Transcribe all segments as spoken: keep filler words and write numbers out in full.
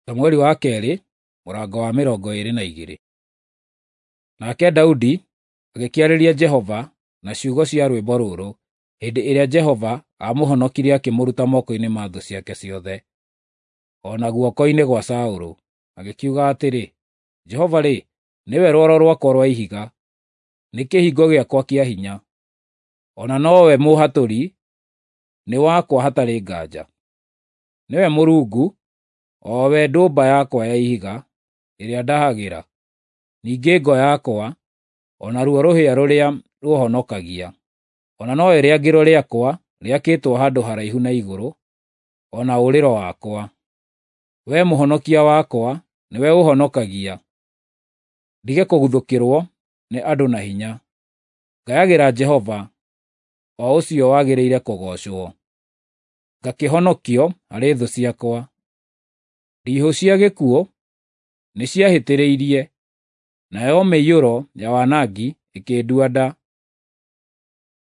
Samueli wa kerĩ mũrango wa mĩrongo ĩĩrĩ na igĩrĩ. Nake Daudi agĩkĩarĩria Jehova na ciugo cia rwĩmbo rũrũ hĩndĩ ĩrĩa Jehova aamũhonokirie akĩmũruta moko-inĩ ma thũ ciake ciothe, o na guoko-inĩ gwa Saũlũ, agĩkiuga atĩrĩ, Jehova-rĩ, nĩwe rwaro rwakwa rwa ihiga, nĩ kĩhingo gĩakwa kĩa hinya, o na nowe mũũhatũri, nĩ wakwa hatarĩ nganja. Nĩwe Mũrungu, o we ndũmba yakwa ya ihiga ĩrĩa ndahagĩra, ningĩ ngo yakwa, o naruo rũhĩa rũrĩa rũũhonokagia, o na nowe rĩangĩro rĩakwa rĩakĩtwo handũ haraihu na igũrũ, o na ũũrĩro wakwa. Wee Mũhonokia wakwa, nĩwe ũũhonokagia, ndige kũguthũkĩrwo nĩ andũ na hinya. Ngayagĩra Jehova, o ũcio wagĩrĩire kũgoocwo, ngakĩhonokio harĩ thũ ciakwa. Ndiihũ cia gĩkuũ nĩciahĩtĩrĩirie, nayo mĩiyũro ya wanangi ĩkĩndua nda.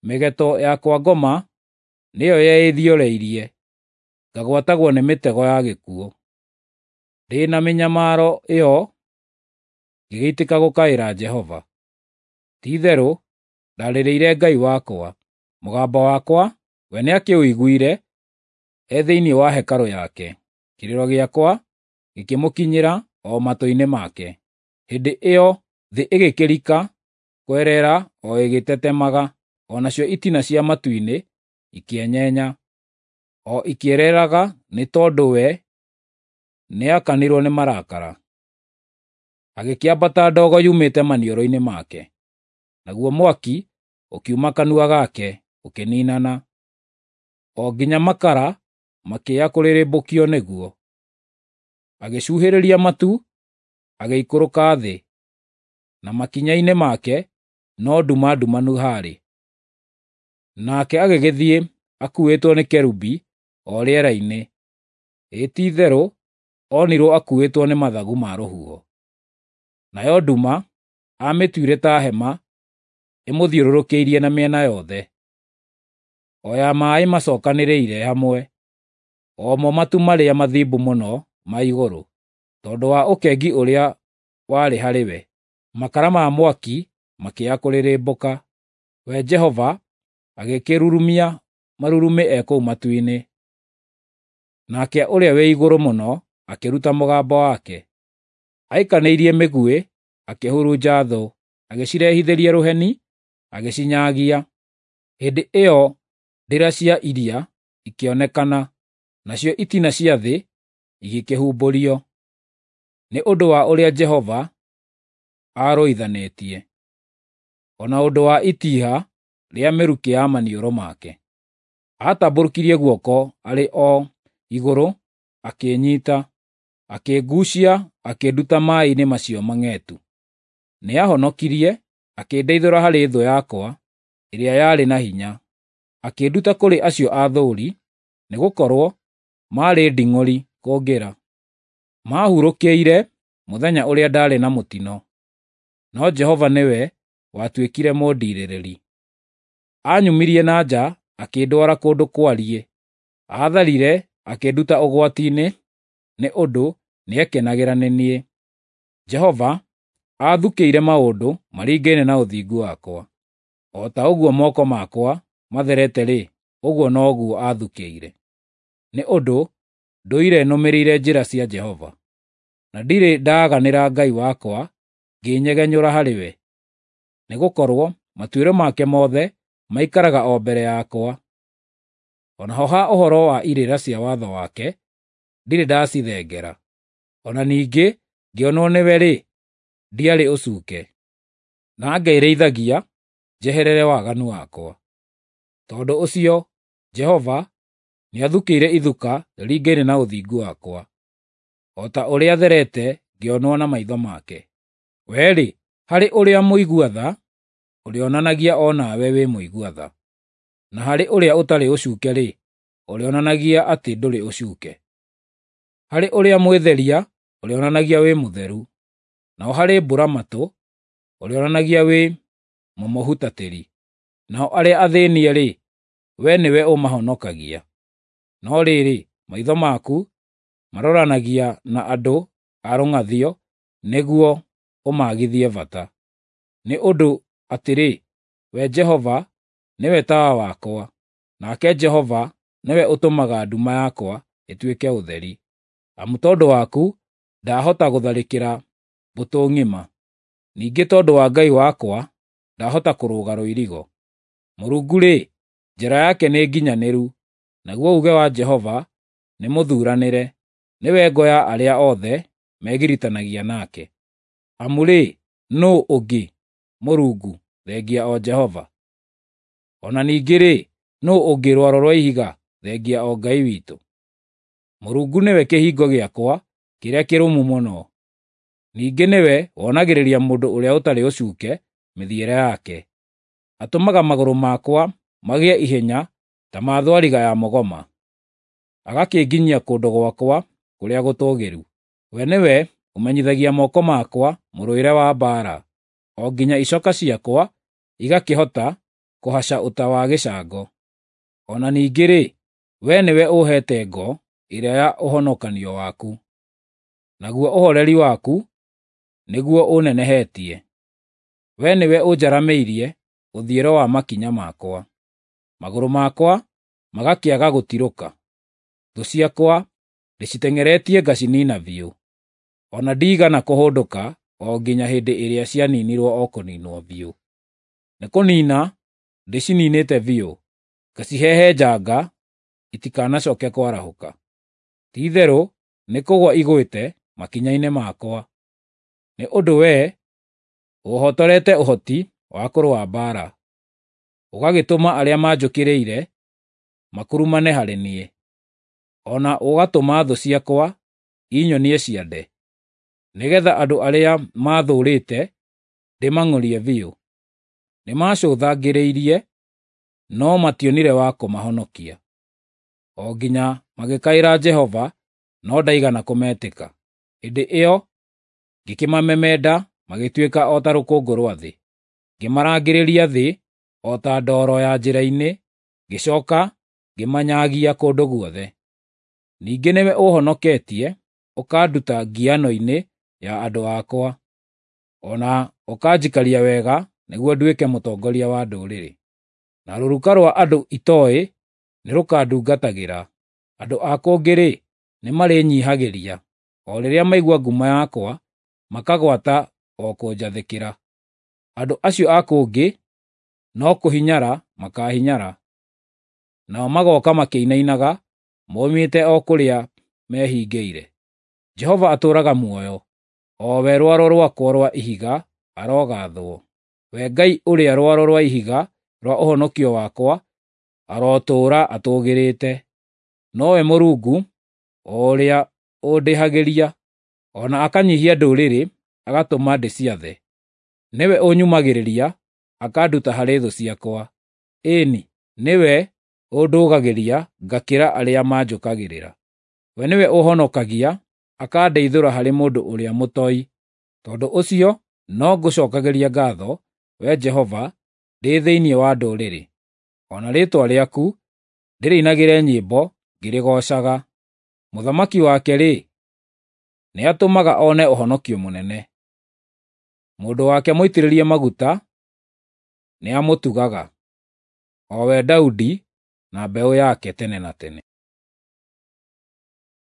Mĩgeto ya kwa ngoma nĩyo yeĩthioreirie, ngagwatagwo nĩ mĩtego ya gĩkuũ. Ndĩ na mĩnyamaro ĩyo ngĩgĩitĩka gũkaĩra Jehova. Ti-itherũ ndarĩrĩire Ngai wakwa, mũgambo wakwa we nĩakĩũiguire e thĩinĩ wa hekarũ yake, kĩrĩro gĩakwa gĩkĩmũkinyĩra o matũ-inĩ make. Hĩndĩ ĩyo thĩ ĩgĩkĩrika kwerera o ĩgĩtetemaga, o nacio itina cia matu-inĩ ikĩenyenya, o ikĩereraga nĩ tondũ we nĩakanirwo nĩ marakara. Agĩkĩambata ndogo yumĩte maniũrũ-inĩ make, naguo mwaki ũkiuma kanua gake ũkĩniinana, o nginya makara makĩya kũrĩrĩmbũkio nĩguo. Agĩcuhĩrĩria matu, agĩikũrũka thĩ, na makinya-inĩ make no nduma ndumanu haarĩ. Nake agĩgĩthiĩ akuuĩtwo nĩ kerubi o rĩera-inĩ, ĩ ti-itherũ onirwo akuuĩtwo nĩ mathagu ma rũhuho. Nayo nduma aamĩtuire ta hema ĩmũthiũrũrũkĩirie na mĩena yothe, o ya maaĩ macokanĩrĩire hamwe, o mo matu marĩa mathimbu mũno ma igũrũ, tondũ wa ũkengi ũrĩa warĩ harĩ we. Makara ma mwaki makĩya kũrĩrĩmbũka. We Jehova agĩkĩrurumia marurumĩ e kũu matu-inĩ, nake Ũrĩa-wĩ-Igũrũ-Mũno akĩruta mũgambo wake. Aikanĩirie mĩguĩ, akĩhurunja thũ, agĩcirehithĩria rũheni, agĩcinyagia. Hĩndĩ ĩyo ndĩra cia iria ikĩonekana, nacio itina cia thĩ igĩkĩhumbũrio, nĩ ũndũ wa ũrĩa Jehova aarũithanĩtie, o na ũndũ wa itiiha rĩa mĩrukĩ ya maniũrũ make. Aatambũrũkirie guoko arĩ o igũrũ akĩĩnyiita, akĩnguucia akĩnduta maaĩ-inĩ macio mang'etu. Nĩahonokirie, akĩndeithũra harĩ thũ yakwa ĩrĩa yarĩ na hinya, akĩnduta kũrĩ acio aathũũri, nĩgũkorwo maarĩ nding'ũri kũngĩra. Maahurũkĩire mũthenya ũrĩa ndaarĩ na mũtino, no Jehova nĩwe watuĩkire mũndiirĩrĩri. Aanyumirie na nja akĩndwara kũndũ kwariĩ, aatharire akĩnduta ũgwati-inĩ, nĩ ũndũ nĩekenagĩra nĩ niĩ. Jehova aathukĩire maũndũ maringaine na ũthingu wakwa, o ta ũguo moko makwa matherete-rĩ, ũguo noguo aathukĩire. Nĩ ũndũ ndũire nũmĩrĩire njĩra cia Jehova, na ndirĩ ndaaganĩra Ngai wakwa ngĩĩnyegenyũra harĩ we, nĩgũkorwo matuĩro make mothe maikaraga o mbere yakwa. O naho ha ũhoro wa irĩra cia watho wake, ndirĩ ndacithengera. O na ningĩ ngĩonwo nĩwe-rĩ, ndiarĩ ũcuuke, na ngerĩithagia njeherere waganu wakwa. Tondũ ũcio Jehova nĩathukĩire ithuka rĩringaine na ũthingu wakwa, o ta ũrĩa therete ngĩonwo na maitho make. Wee-rĩ, harĩ ũrĩa mũigua tha, ũrĩonanagia o nawe wĩ mũigua tha, na harĩ ũrĩa ũtarĩ ũcuuke-rĩ, ũrĩonanagia atĩ ndũrĩ ũcuuke. Harĩ ũrĩa mwĩtheria ũrĩonanagia wĩ mũtheru, naho harĩ mbũra-matũ ũrĩonanagia wĩ mũmũhutatĩri. Nao arĩa athĩĩnie-rĩ, wee nĩwe ũmahonokagia. No rĩrĩ, maitho maku Maroranagia na andũ a rũng'athio nĩguo ũmaagithie bata. Nĩ ũndũ atĩrĩ, we Jehova nĩwe tawa wakwa, nake Jehova nĩwe ũtũmaga nduma yakwa ĩtuĩke ũtheri. Amu tondũ waku ndahota gũtharĩkĩra mbũtũ ng'ima, ningĩ tondũ wa Ngai wakwa ndahota kũrũga rũirigo. Mũrungu-rĩ, njĩra yake nĩ nginyanĩru, naguo uuge wa Jehova nĩ mũthuranĩre, nĩwe ngo ya arĩa othe megiritanagia nake. Amu-rĩ, nũũ ũngĩ Mũrungu thengia o Jehova? O na ningĩ-rĩ, nũũ ũngĩ rwaro rwa ihiga thengia o Ngai witũ? Mũrungu nĩwe kĩhingo gĩakwa kĩrĩa kĩrũmu mũno, ningĩ nĩwe wonagĩrĩria mũndũ ũrĩa ũtarĩ ũcuuke mĩthiĩre yake. Atũmaga magũrũ makwa magĩe ihenya ta ma thwariga ya mũgoma, agakĩnginyia kũndũ gwakwa kũrĩa gũtũũgĩru. We nĩwe ũmenyithagia moko makwa mũrũĩre wa mbaara, o nginya icoka ciakwa igakĩhota kũhaca ũta wa gĩcango. O na ningĩ-rĩ, we nĩwe ũũheete ngo ĩrĩa ya ũhonokanio waku, naguo ũhoreri waku nĩguo ũnenehetie. We nĩwe ũnjaramĩirie ũthiĩro wa makinya makwa, magũrũ makwa magakĩaga gũtirũka. Thũ ciakwa ndĩciteng'eretie ngacinina biũ, o na ndiigana kũhũndũka o nginya hĩndĩ ĩrĩa cianinirwo o kũninwo biũ. Nĩ kũniina ndĩcininĩte biũ, ngacihehenjanga itikanacoke kwarahũka. Ti-itherũ nĩ kũgũa igũĩte makinya-inĩ makwa, nĩ ũndũ wee ũũhotorete ũhoti wa kũrũa mbaara, ũgagĩtũma arĩa manjũkĩrĩire makurumane harĩ niĩ, o na ũgatũma thũ ciakwa inyonie ciande, nĩgeetha andũ arĩa maathũũrĩte ndĩmang'ũrie biũ. Nĩmacũthangĩrĩirie, no mationire wa kũmahonokia, o nginya magĩkaĩra Jehova, no ndaigana kũmetĩka. Hĩndĩ ĩyo ngĩkĩmamemenda magĩtuĩka o ta rũkũngũ rwa thĩ, ngĩmarangĩrĩria thĩ o ta ndoro ya njĩra-inĩ, ngĩcooka ngĩmanyaagia kũndũ guothe. Ningĩ nĩwe ũũhonoketie ũkanduta ngiano-inĩ ya andũ akwa, o na ũkanjikaria wega nĩguo nduĩke mũtongoria wa ndũrĩrĩ. Na rũruka rwa andũ itooĩ nĩrũkandungatagĩra. Andũ a kũngĩ-rĩ, nĩmarĩnyiihagĩria, o rĩrĩa maigua ngumo yakwa, makagwata o kũnjathĩkĩra. Andũ acio a kũngĩ no kũhinyara makaahinyara, nao magooka makĩinainaga moimĩte o kũrĩa mehingĩire. Jehova atũũraga muoyo, o we rwaro rwakwa rwa ihiga arogaathwo. We Ngai ũrĩa rwaro rwa ihiga rwa ũhonokio wakwa arotũũra atũũgĩrĩte. Nowe Mũrungu, o ũrĩa ũndĩhagĩria, o na akanyiihia ndũrĩrĩ agatũma ndĩciathe. Nĩwe ũnyũmagĩrĩria akanduta harĩ thũ ciakwa. Ĩĩ-ni, nĩwe ũndũgagĩria ngakĩra arĩa manjũkagĩrĩra. We nĩwe ũũhonokagia akandeithũra harĩ mũndũ ũrĩa mũtoi. Tondũ ũcio no ngũcookagĩria ngaatho, Wee Jehova, ndĩ thĩinĩ wa ndũrĩrĩ, o na rĩĩtwa rĩaku ndĩrĩinagĩre nyĩmbo ngĩrĩgoocaga. Mũthamaki wake-rĩ, nĩatũmaga one ũhonokio mũnene; mũndũ wake mũitĩrĩrie maguta nĩamũtugaga, o we Daudi na mbeũ yake tene na tene.